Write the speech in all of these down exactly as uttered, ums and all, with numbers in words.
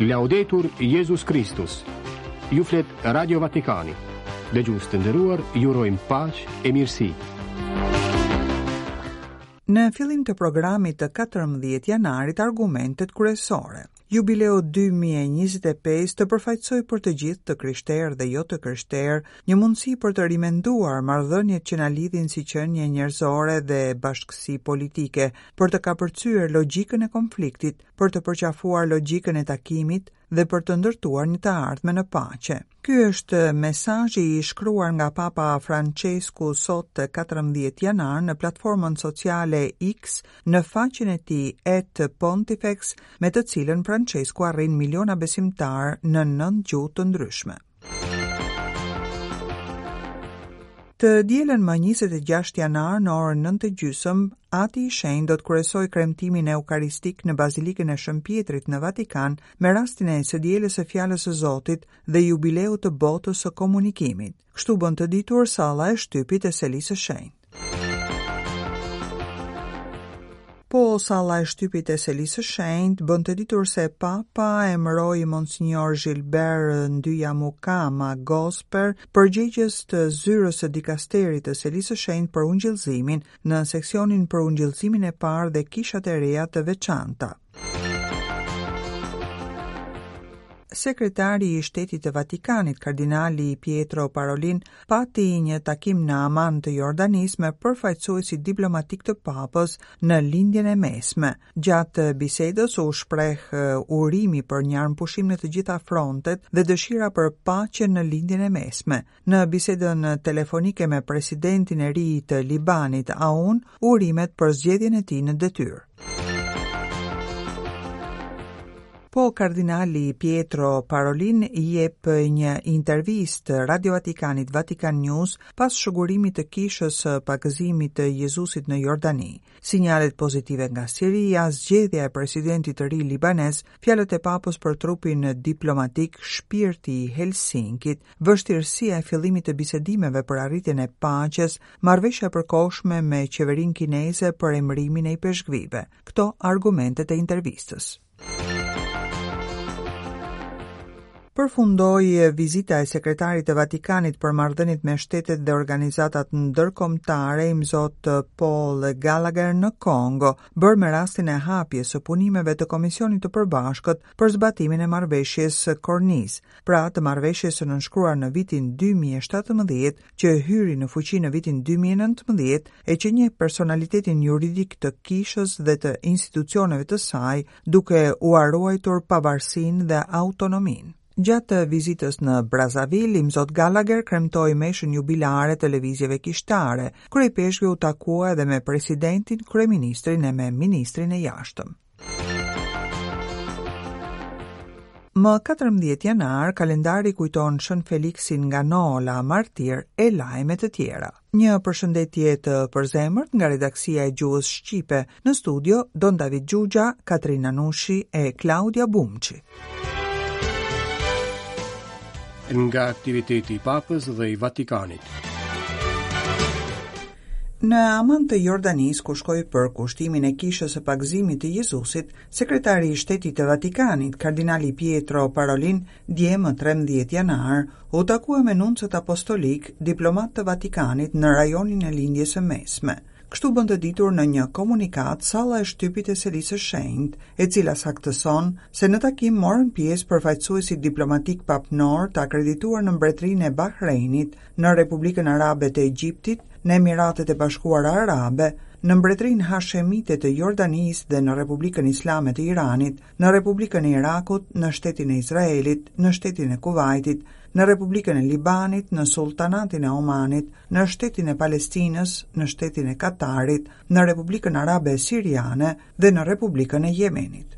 Laudetur Jezus Kristus. Ju flet Radio Vatikani. Dëgjues të nderuar, ju urojmë paqe e mirësi. Në fillim të programit të katërmbëdhjetë janarit, argumentet kryesore. Jubileu dy mijë e njëzet e pesë të përfaqësoj për të gjithë të krishterë dhe jo të krishterë një mundësi për të rimenduar marrëdhëniet që na lidhin si qenie njerëzore dhe bashkësi politike, për të kapërcyer logjikën e konfliktit, për të përqafuar logjikën e takimit dhe për të ndërtuar një të ardhme në paqe. Ky është mesazhi i shkruar nga Papa Francesku sot të katërmbëdhjetë janar në platformën sociale X në faqen e tij at Pontifex, me të cilën Francesku arrin miliona besimtar në nëntë gjuhë të ndryshme. Të dielën më njëzet e gjashtë janar në orën nëntë e gjysmë, Ati i Shenjtë do të kryesojë kremtimin eukaristik në Bazilikën e Shën Pietrit në Vatikan me rastin e së dielës së Fjalës së Zotit dhe jubileut të botës së komunikimit. Kështu bën të ditur salla e shtypit e Selisë së Shenjtë. Po salla e shtypit e Selisë së Shenjtë bën të ditur se Papa emëroi Monsignor Gilbert Ndyamukama Gosper, përgjegjës të zyrës së dikasterit të Selisë së Shenjtë për ungjillëzimin në seksionin për ungjillëzimin e parë dhe kishat e reja të veçanta. Sekretari i Shtetit të Vatikanit, kardinali Pietro Parolin, pati një takim në Aman të Jordanisë me përfaqësuesit diplomatik të Papës në Lindjen e Mesme. Gjatë bisedës u shpreh, eh, urimi për një armëpushim në të gjitha frontet dhe dëshira për paqe në Lindjen e Mesme. Në bisedën telefonike me presidentin e ri të Libanit, Aoun, urimet për zgjedhjen e tij në detyrë. Po kardinali Pietro Parolin jep një intervistë Radio Vatikanit Vatican News pas shëgurimit të kishës së pagëzimit të Jezusit në Jordani. Sinjalet pozitive nga Siria, zgjedhja e presidentit të ri libanez, fjalët e papës për trupin diplomatik, shpirti i Helsinkit, vështirësia e fillimit të bisedimeve për arritjen e paqes, marrëveshja e përkohshme me qeverinë kineze për emërimin e ipeshkvive. Këto argumentet e intervistës. Përfundoi vizita e sekretarit të Vatikanit për marrëdhëniet me shtetet dhe organizatat ndërkombëtare, imzot Paul Gallagher në Kongo, bërë me rastin e hapjes së punimeve të Komisionit të Përbashkët për zbatimin e marrëveshjes së Korniz, pra të marrëveshjes së nënshkruar në vitin dy mijë e shtatëmbëdhjetë, që hyri në fuqi në vitin dy mijë e nëntëmbëdhjetë e që njeh personalitetin juridik të kishës dhe të institucioneve të saj, duke ua ruajtur pavarësinë dhe autonominë. Gjatë vizitës në Brazzaville, imzot Gallagher kremtoi meshën jubilare të lëvizjeve kishtare. Kryepeshkvi u takua edhe me presidentin, kryeministrin e me ministrin e jashtëm. Më katërmbëdhjetë janar, kalendari kujton Shën Feliksin nga Nola, martir e lajme të tjera. Një përshëndetje të përzemërt nga redaksia e gjuhës shqipe. Në studio Don David Gjugja, Katrina Nushi e Klaudia Bumçi. Nga aktiviteti i Papës dhe i Vatikanit. Në Aman të Jordanisë, ku shkoi për kushtimin e kishës së pagëzimit të Jezusit, sekretari i Shtetit të Vatikanit, kardinali Pietro Parolin, dje më trembëdhjetë janar, u takua me nuncët apostolik, diplomat të Vatikanit në rajonin e Lindjes së Mesme. Kështu bën të ditur në një komunikat salla e shtypit e Selisë së Shenjtë, e cila saktëson se në takim morën pjesë përfaqësuesit diplomatik papnor të akredituar në Mbretërinë e Bahreinit, në Republikën Arabe të Egjiptit, në Emiratet e Bashkuara Arabe, në Mbretërinë Hashemite të Jordanisë dhe në Republikën Islame të Iranit, në Republikën e Irakut, në shtetin e Izraelit, në shtetin e Kuvajtit, në Republikën e Libanit, në Sultanatin e Omanit, në shtetin e Palestinës, në shtetin e Katarit, në Republikën Arabe Siriane dhe në Republikën e Jemenit.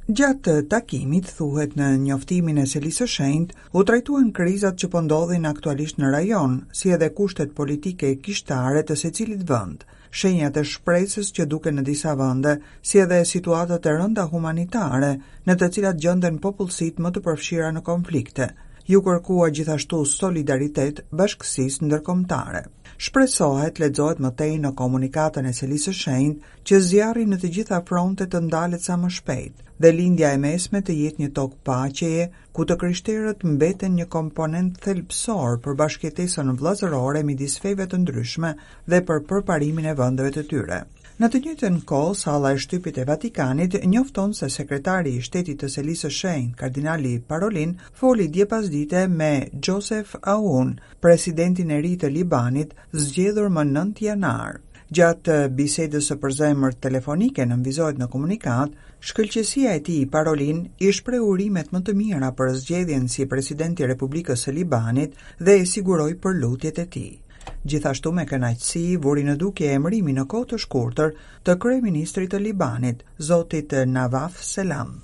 Gjatë takimit, thuhet në njoftimin e Selisë së Shenjtë, u trajtuan krizat që po ndodhin aktualisht në rajon, si edhe kushtet politike e kishtare të secilit vend, shenjat e shpresës që duken në disa vende, si edhe situatat e rënda humanitare në të cilat gjenden popullsitë më të përfshira në konflikte. Ju kërkua gjithashtu solidaritet bashkësisë ndërkombëtare. Shpresohet, lexohet më tej në komunikatën e Selisë së Shenjtë, që zjarri në të gjitha frontet të ndalet sa më shpejt, dhe Lindja e Mesme të jetë një tokë paqeje, ku të krishterët mbeten një komponent thelbësor për bashkëjetesën vëllazërore midis feve të ndryshme dhe për përparimin e vendeve të tyre. Në të njëjtën kohë, salla e shtypit e Vatikanit njofton se sekretari i shtetit të Selisë së Shenjtë, kardinali Parolin, foli dje pasdite me Joseph Aoun, presidentin e ri të Libanit, zgjedhur më nëntë janar. Gjatë bisedës së përzemërt telefonike nënvizohet në komunikat, shkëlqesia e tij Parolin i shprehu urimet më të mira për zgjedhjen si president i Republikës së Libanit dhe e siguroi për lutjet e tij. Gjithashtu me kënaqësi vuri në dukje emërimin në kohë të shkurtër të kryeministrit të Libanit, zotit Nawaf Salam.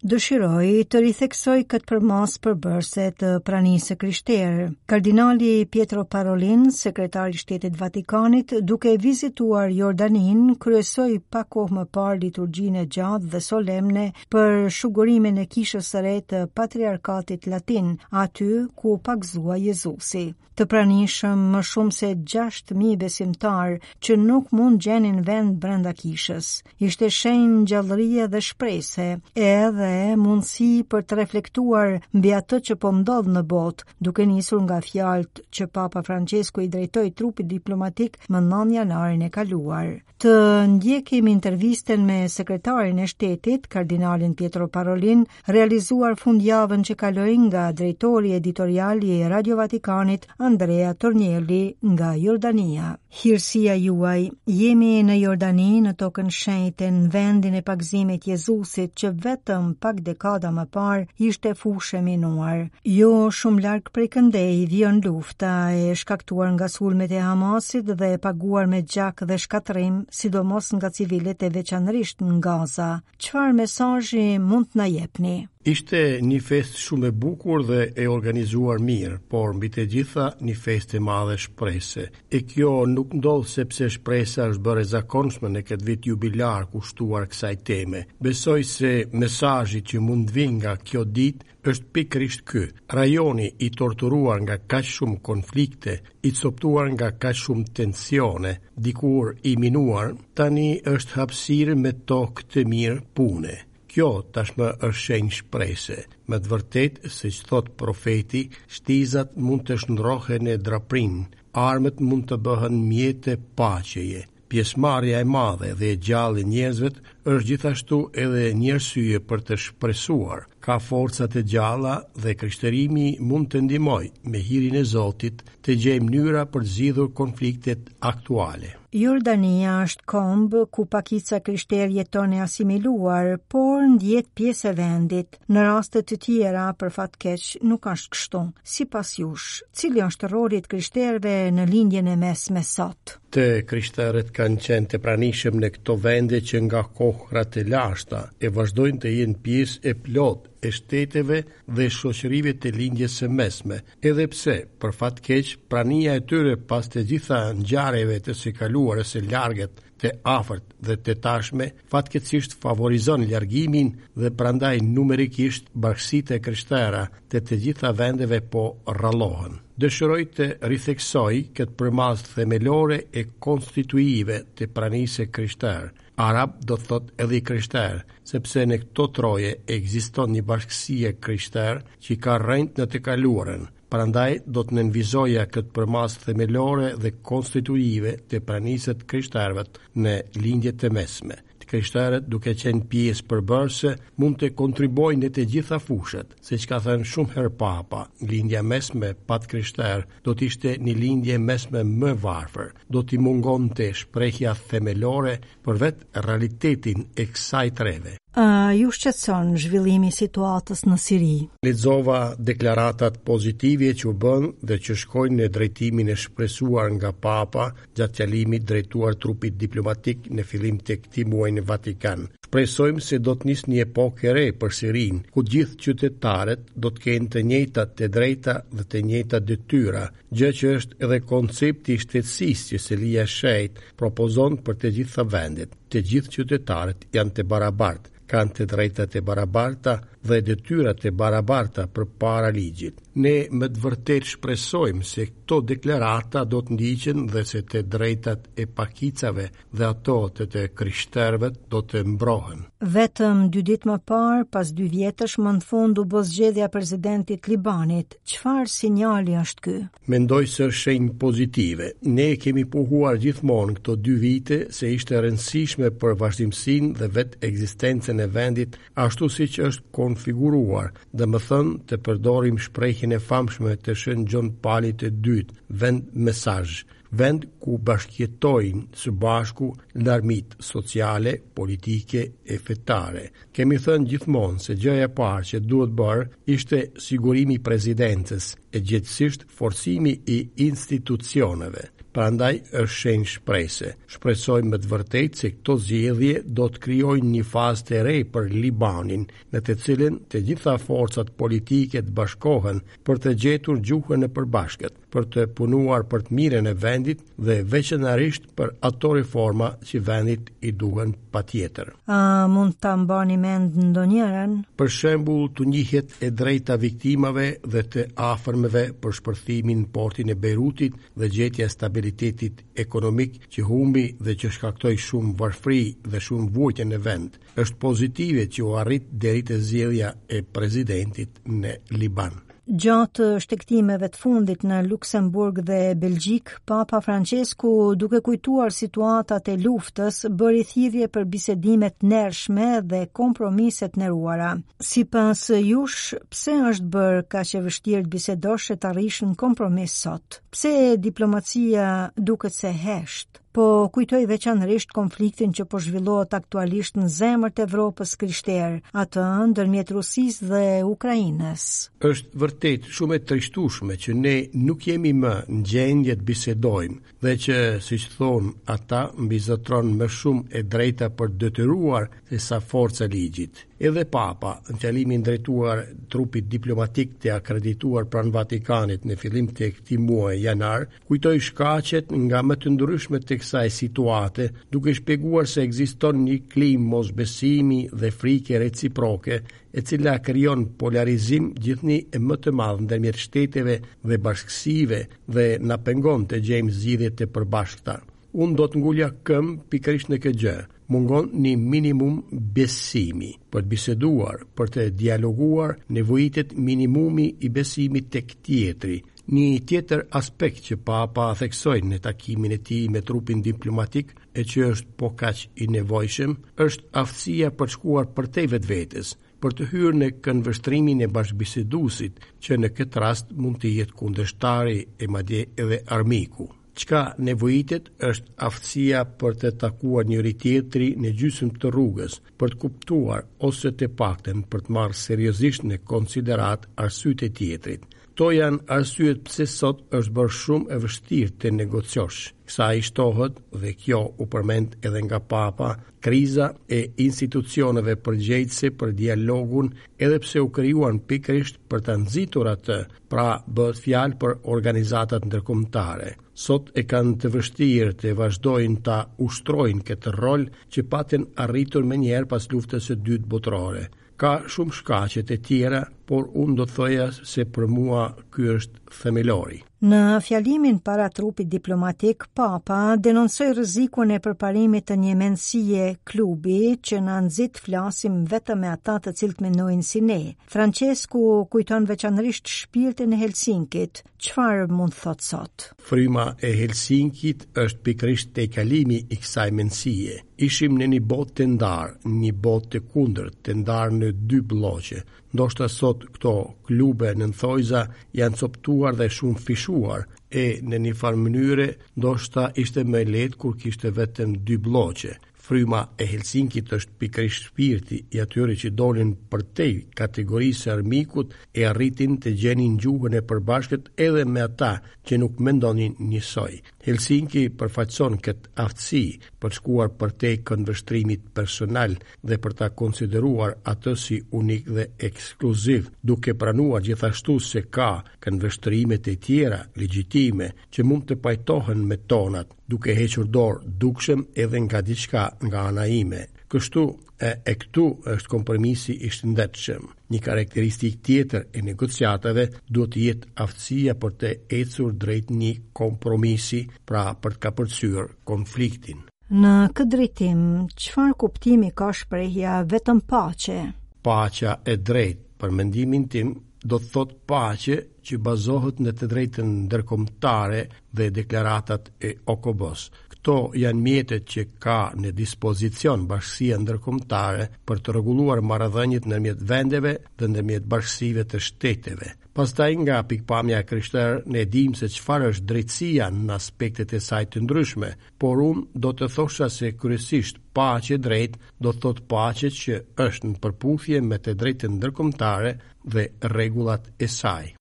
Dëshiroj të ritheksoj këtë përmas përbërse të pranisë së krishterë. Kardinali Pietro Parolin, sekretari i Shtetit Vatikanit, duke vizituar Jordanin, kryesoi pak kohë më parë liturgjinë e gjatë dhe solemne për shugurimin e kishës së re të Patriarkatit Latin, aty ku u pagëzua Jezusi. Të pranishëm më shumë se gjashtë mijë besimtar që nuk mund gjenin vend brenda kishës. Ishte shenjë gjallërie dhe shprese, edhe mundësi për të reflektuar mbi atë që po ndodh në botë, duke nisur nga fjalët që Papa Francesku i drejtoi trupit diplomatik më nëntë janarin e kaluar. Të ndjekim intervistën me sekretarin e shtetit, kardinalin Pietro Parolin, realizuar fundjavën që kaloi nga drejtori editorial i Radio Vatikanit, Andrea Tornielli nga Jordania. Hirësia juaj, jemi në Jordani, në tokën shenjte, në vendin e pagëzimit Jezusit, që vetëm pak dekada më parë ishte fushë e minuar. Jo shumë larg prej këndej vijon lufta e shkaktuar nga sulmet e Hamasit dhe e paguar me gjak dhe shkatërrim, sidomos nga civilët e veçanërisht në Gaza. Çfarë mesazhi mund të na jepni? Ishte një festë shumë e bukur dhe e organizuar mirë, por mbi të gjitha një festë e madhe shprese. E kjo nuk ndodh sepse shpresa është bërë e zakonshme në këtë vit jubilar kushtuar kësaj teme. Besoj se mesazhi që mund të vijë nga kjo ditë është pikërisht ky. Rajoni i torturuar nga kaq shumë konflikte, i coptuar nga kaq shumë tensione, dikur i minuar, tani është hapësirë me tokë të mirë pune. Kjo tashmë është shenjë shprese. Me të vërtetë, siç thot profeti, shtizat mund të shndrohen në draprin, armët mund të bëhen mjete paqeje. Pjesëmarrja e madhe dhe e gjallë e njerëzve është gjithashtu edhe një arsye për të shpresuar. Ka forca të gjalla dhe krishterimi mund të ndihmojë me hirin e Zotit të gjejë mënyra për të zgjidhur konfliktet aktuale. Jordania është komb ku pakica krishterë jeton e asimiluar, por ndjet pjesë e vendit. Në raste të tjera, për fat keq, nuk është kështu. Sipas jush, cili është roli i të krishterëve në lindjen e mesme sot? Të krishterët kanë qenë të pranishëm në këto vende që nga kohrat e lashta e vazhdojnë të jenë pjesë e plotë e shteteve dhe shoqërive të lindjes së mesme, edhe pse, për fat keq, prania e tyre pas të gjitha ngjarjeve të së kaluarës së largët, të afërt dhe të tashme, fatkeqësisht favorizon largimin dhe prandaj numerikisht bashkësitë e krishtera të të gjitha vendeve po rrallohen. Dëshiroj të ritheksoj këtë përmasë themelore e konstituive të pranisë krishterë. Arab do të thotë edhe i krishterë, sepse në këto troje ekziston një bashkësi e krishterë që ka rrënjë në të kaluarën. Prandaj do të nënvizoja këtë përmasë themelore dhe konstituive të pranisë të krishterëve në lindje të mesme. Të krishterët, duke qenë pjesë përbërëse, mund të kontribuojnë në të gjitha fushat, siç ka thënë shumë herë Papa, lindja mesme pa të krishterë do të ishte një lindje mesme më varfër, do t'i mungonte shprehja themelore për vetë realitetin e kësaj treve. A ju shqetëson zhvillimi i situatës në Siri? Lexova deklaratat pozitive që u bën dhe që shkojnë në drejtimin e shpresuar nga Papa gjatë fjalimit drejtuar trupit diplomatik në fillim të këtij muaji në Vatikan. Shpresojmë se do të nisë një epokë e re për Sirinë, ku gjithë qytetarët do të kenë të njëjtat të drejta dhe të njëjtat detyra, gjë që është edhe koncepti i shtetësisë që Selia e Shenjtë propozon për të gjitha vendet. Të gjithë qytetarët janë të barabartë, kanë të drejtat e barabarta dhe detyrat e barabarta përpara ligjit. Ne me të vërtetë shpresojmë se këto deklarata do të ndiqen dhe se të drejtat e pakicave dhe ato të të krishterëve do të mbrohen. Vetëm dy ditë më parë, pas dy vjetësh, më në fund u bë zgjedhja e presidentit të Libanit. Çfarë sinjali është ky? Mendoj se është shenjë pozitive. Ne kemi pohuar gjithmonë këto dy vite se ishte e rëndësishme për vazhdimësinë dhe vetë ekzistencën e vendit ashtu siç është konfiguruar, domethënë të përdorim shprehjen e famshme të Shën Gjon Palit të Dytë, vend mesazh, vend ku bashkëjetojnë së bashku larmitë sociale, politike e fetare. Kemi thënë gjithmonë se gjëja e parë që duhet bërë ishte sigurimi i presidencës, e gjithësisht forcimi i institucioneve. Prandaj është shenjë shprese. Shpresojmë me të vërtetë se këto zgjedhje do të krijojnë një fazë të re për Libanin, në të cilën të gjitha forcat politike të bashkohen për të gjetur gjuhën e përbashkët, për të punuar për të mirën e vendit dhe veçanërisht për ato reforma që vendit i duhen patjetër. A mund ta mbani mend ndonjëren? Për shembull, të njihet e drejta viktimave dhe të afërmeve për shpërthimin në portin e Beirutit dhe gjetja e stabilitetit ekonomik që humbi dhe që shkaktoi shumë varfëri dhe shumë vuajtje në vend. Është pozitive që u arrit deri te zgjedhja e presidentit në Liban. Gjatë shtegtimeve të fundit në Luksemburg dhe Belgjik, Papa Francesku, duke kujtuar situatat e luftës, bëri thirrje për bisedime të ndershme dhe kompromise të nderuara. Sipas jush, pse është bërë kaq e vështirë të bisedosh e të arrish në kompromis sot? Pse diplomacia duket se hesht? Po kujtoj veçanërisht konfliktin që po zhvillohet aktualisht në zemër të Evropës krishterë, atë ndërmjet Rusisë dhe Ukrainës. Është vërtet shumë e trishtueshme që ne nuk jemi më në gjendje të bisedojmë dhe që, siç thonë ata, mbizotron më shumë e drejta për të detyruar se sa forca e ligjit. Edhe Papa, në fjalimin drejtuar trupit diplomatik të akredituar pranë Vatikanit në fillim të këtij muaji janar, kujtoi shkaqet nga më të ndryshme të kësaj situate, duke shpjeguar se ekziston një klimë mosbesimi dhe frike reciproke, e cila krijon polarizim gjithnjë e më të madh ndërmjet shteteve dhe bashkësive dhe na pengon të gjejmë zgjidhje të përbashkëta. Unë do të ngulja këmbë pikërisht në këtë gjë. Mungon një minimum besimi. Për të biseduar, për të dialoguar, nevojitet minimumi i besimit tek tjetri. Një tjetër aspekt që Papa theksoi në takimin e tij me trupin diplomatik, e që është po kaq i nevojshëm, është aftësia për të shkuar përtej vetvetes, për të hyrë në këndvështrimin e bashkëbiseduesit, që në këtë rast mund të jetë kundërshtari e madje edhe armiku. Çka nevojitet është aftësia për të takuar njëri tjetrin në gjysmë të rrugës, për të kuptuar ose të paktën për të marrë seriozisht në konsiderat arsyet e tjetrit. Këto janë arsyet pse sot është bërë shumë e vështirë të negociosh. Kësaj i shtohet, dhe kjo u përmend edhe nga Papa, kriza e institucioneve përgjegjëse për dialogun, edhe pse u krijuan pikërisht për ta nxitur atë, pra bëhet fjalë për organizatat ndërkombëtare. Sot e kanë të vështirë të vazhdojnë ta ushtrojnë këtë rol që patën arritur menjëherë pas luftës së dytë botërore. Ka shumë shkaqe të tjera, por unë do të thoja se për mua ky është themelori. Në fjalimin para trupit diplomatik, Papa denoncoi rrezikun e përparimit të një mendësie klubi që na nxit flasim vetëm me ata të cilët mendojnë si ne. Francesku kujton veçanërisht shpirtin e Helsinkit. Çfarë mund të thotë sot? Fryma e Helsinkit është pikërisht tejkalimi i kësaj mendësie. Ishim në një botë të ndarë, një botë të kundërt, të ndarë në dy blloqe. Ndoshta sot këto klube në thojza janë coptuar dhe shumë fishuar, e në një farë mënyre ndoshta ishte më lehtë kur kishte vetëm dy blloqe. Fryma e Helsinkit është pikërisht shpirti i atyre që dolën përtej kategorisë së armikut e arritin të gjenin gjuhën e përbashkët edhe me ata që nuk mendonin njësoj. Helsinki përfaqëson këtë aftësi për të shkuar përtej këndvështrimit personal dhe për ta konsideruar atë si unik dhe ekskluziv, duke pranuar gjithashtu se ka këndvështrime të tjera legjitime që mund të pajtohen me tonat, duke hequr dorë dukshëm edhe nga diçka nga ana ime. Kështu, e, e këtu është kompromisi i shëndetshëm. Një karakteristikë tjetër e negociatave duhet të jetë aftësia për të ecur drejt një kompromisi, pra për të kapërcyer konfliktin. Në këtë drejtim, çfarë kuptimi ka shprehja vetëm paqe? Paqja e drejtë, për mendimin tim, do të thotë paqe që bazohet në të drejtën ndërkombëtare dhe deklaratat e O K B-s. Këto janë mjetet që ka në dispozicion bashkësia ndërkombëtare për të rregulluar marrëdhëniet ndërmjet vendeve dhe ndërmjet bashkësive të shteteve. Pastaj nga pikpamja e krishterë ne dimë se çfarë është drejtësia në aspektet e saj të ndryshme, por unë do të thosha se kryesisht paqe drejt do të thotë paqe që është në përputhje me të drejtën ndërkombëtare dhe rregullat e saj.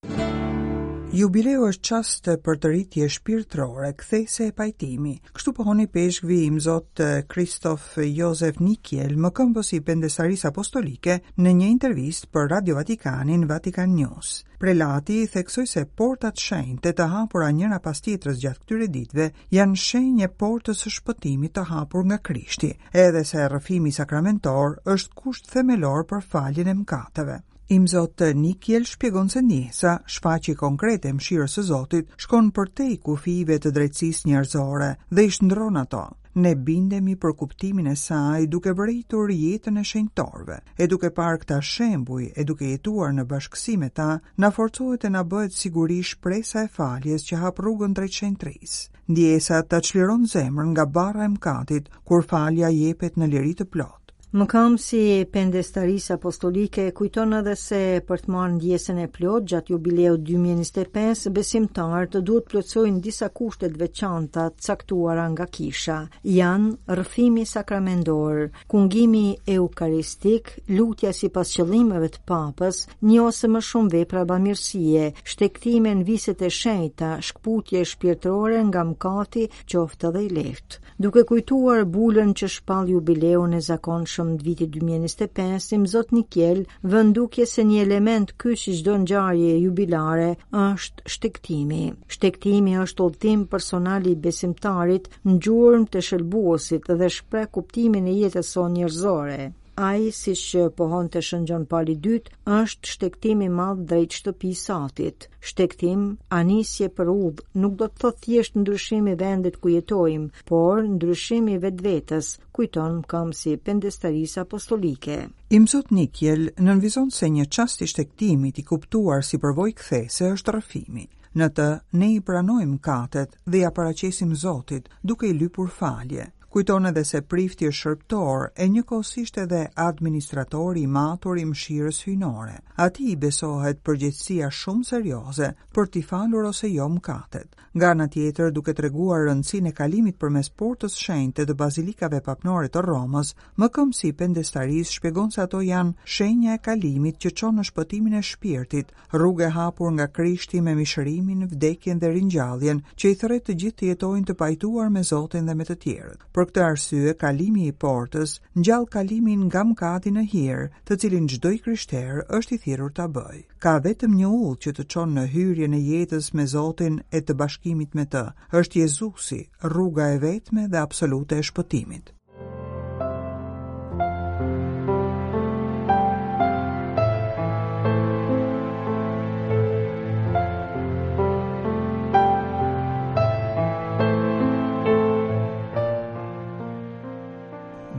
Jubileu është çast për të rritje shpirtërore, kthese e pajtimi. Kështu pohon i peshkvi Imzot Kristof Josef Nikiel, mëkëmbës i Pendestarisë Apostolike, në një intervistë për Radio Vatikanin, Vatican News. Prelati theksoi se portat shenjte të hapura njëra pas tjetrës gjatë këtyre ditëve janë shenjë e portës së shpëtimit të hapur nga Krishti, edhe se rrëfimi sakramentor është kusht themelor për faljen e mëkateve. Imzot Nikiel shpjegon se ndjesa, shfaqje konkrete e mëshirës së Zotit, shkon përtej kufijve të drejtësisë njerëzore dhe i shndron ato. Ne bindemi për kuptimin e saj duke vërejtur jetën e shenjtorëve, e duke parë këta shembuj e duke jetuar në bashkësi me ta, na forcohet e na bëhet siguri shpresa e faljes që hap rrugën drejt shenjtërisë. Ndjesa ta çliron zemrën nga barra e mëkatit, kur falja jepet në liri të plotë. Mëkëmbësi i Pendestarisë Apostolike kujton edhe se për të marrë ndjesën e plotë gjatë jubileut dy mijë e njëzet e pesë, besimtarët duhet plotësojnë disa kushte të veçanta të caktuara nga kisha. Janë rrëfimi sakramendor, kungimi eukaristik, lutja sipas qëllimeve të papës, një ose më shumë vepra bamirësie, shtegtime në viset e shenjta, shkputje shpirtërore nga mëkati, qoftë edhe i lehtë. Duke kujtuar bulën që shpall jubileun e zakonshëm të vitit dy mijë e njëzet e pesë, Imzot Nikiel vë në dukje se një element kyç i çdo ngjarje jubilare është shtegtimi. Shtegtimi është udhëtim personal i besimtarit në gjurmë të shëlbuesit dhe shpreh kuptimin e jetës sonë njerëzore. Ai, siç pohonte Shën Gjon Pali i dytë, është shtegtim i madh drejt shtëpisë së Atit. Shtegtim, anisje për udhë, nuk do të thotë thjesht ndryshim i vendit ku jetojmë, por ndryshim i vetvetes, kujton mëkëmbësi i Pendestarisë Apostolike. Imzot Nikiel nënvizon se një çast i shtegtimit i kuptuar si përvojë kthese është rrëfimi. Në të ne i pranojmë katet dhe ja paraqesim Zotit, duke i lypur falje. Kujton edhe se prifti është shërbëtor e njëkohësisht edhe administratori i matur i mëshirës hyjnore. Atij i besohet përgjegjësia shumë serioze për t'i falur ose jo mëkatet. Nga ana tjetër, duke treguar rëndësinë e kalimit përmes portës shenjte të bazilikave papnore të Romës, mëkëmbësi i Pendestarisë shpjegon se ato janë shenja e kalimit që çon në shpëtimin e shpirtit, rrugë e hapur nga Krishti me mishërimin, vdekjen dhe ringjalljen, që i thërret të gjithë të jetojnë të pajtuar me Zotin dhe me të tjerët. Për këtë arsye, kalimi i portës ngjall kalimin nga mëkati në hir, të cilin çdo i krishter është i thirrur ta bëjë. Ka vetëm një udhë që të çon në hyrjen e jetës me Zotin e të bashkimit me të. Është Jezusi, rruga e vetme dhe absolute e shpëtimit.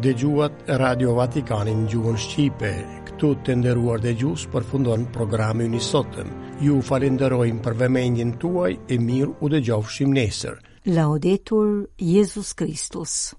Dëgjuat Radio Vatikanin në gjuhën shqipe. Këtu të nderuar dëgjues përfundon programi ynë i sotëm. Ju falenderojmë për vëmendjen tuaj e mirë u dëgjofshim nesër. Laudetur Jezus Christus.